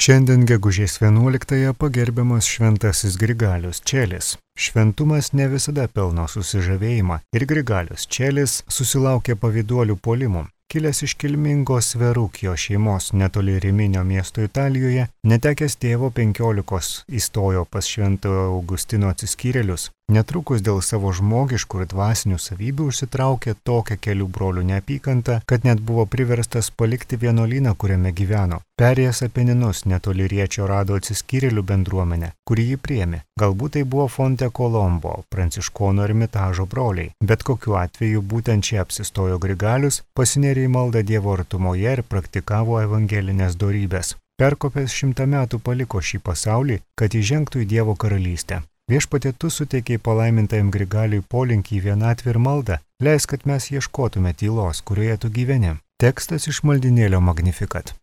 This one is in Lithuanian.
Šiandien gegužės 11-ąją pagerbiamas šventasis Grigalius Čelis. Šventumas ne visada pelno susižavėjimą ir Grigalius Čelis susilaukė pavyduolių puolimų. Kilęs iš kilmingos Verukio šeimos netoli Riminio miesto Italijoje, netekęs tėvo 15 įstojo pas Šventojo Augustino atsiskyrėlius. Netrukus dėl savo žmogiškų ir dvasinių savybių užsitraukė tokią kelių brolių neapykantą, kad net buvo priverstas palikti vienuolyną, kuriame gyveno. Perėjęs Apeninus netoli Riečio rado atsiskyrėlių bendruomenę, kuri jį priėmė. Galbūt tai buvo Fonte Colombo, pranciškonų Ermitažo broliai. Bet kokiu atveju būtent čia apsistojo Grigalius, pasinėrė į maldą Dievo artumoje ir praktikavo evangelinės dorybės. Perkopęs 100 metų paliko šį pasaulį, kad įžengtų į Dievo karalystę. Viešpatie, tu suteikei palaimintajam Grigaliui polinkį į vienatvę ir maldą, leisk, kad mes ieškotume tylos, kurioje tu gyveni. Tekstas iš maldynėlio Magnificat.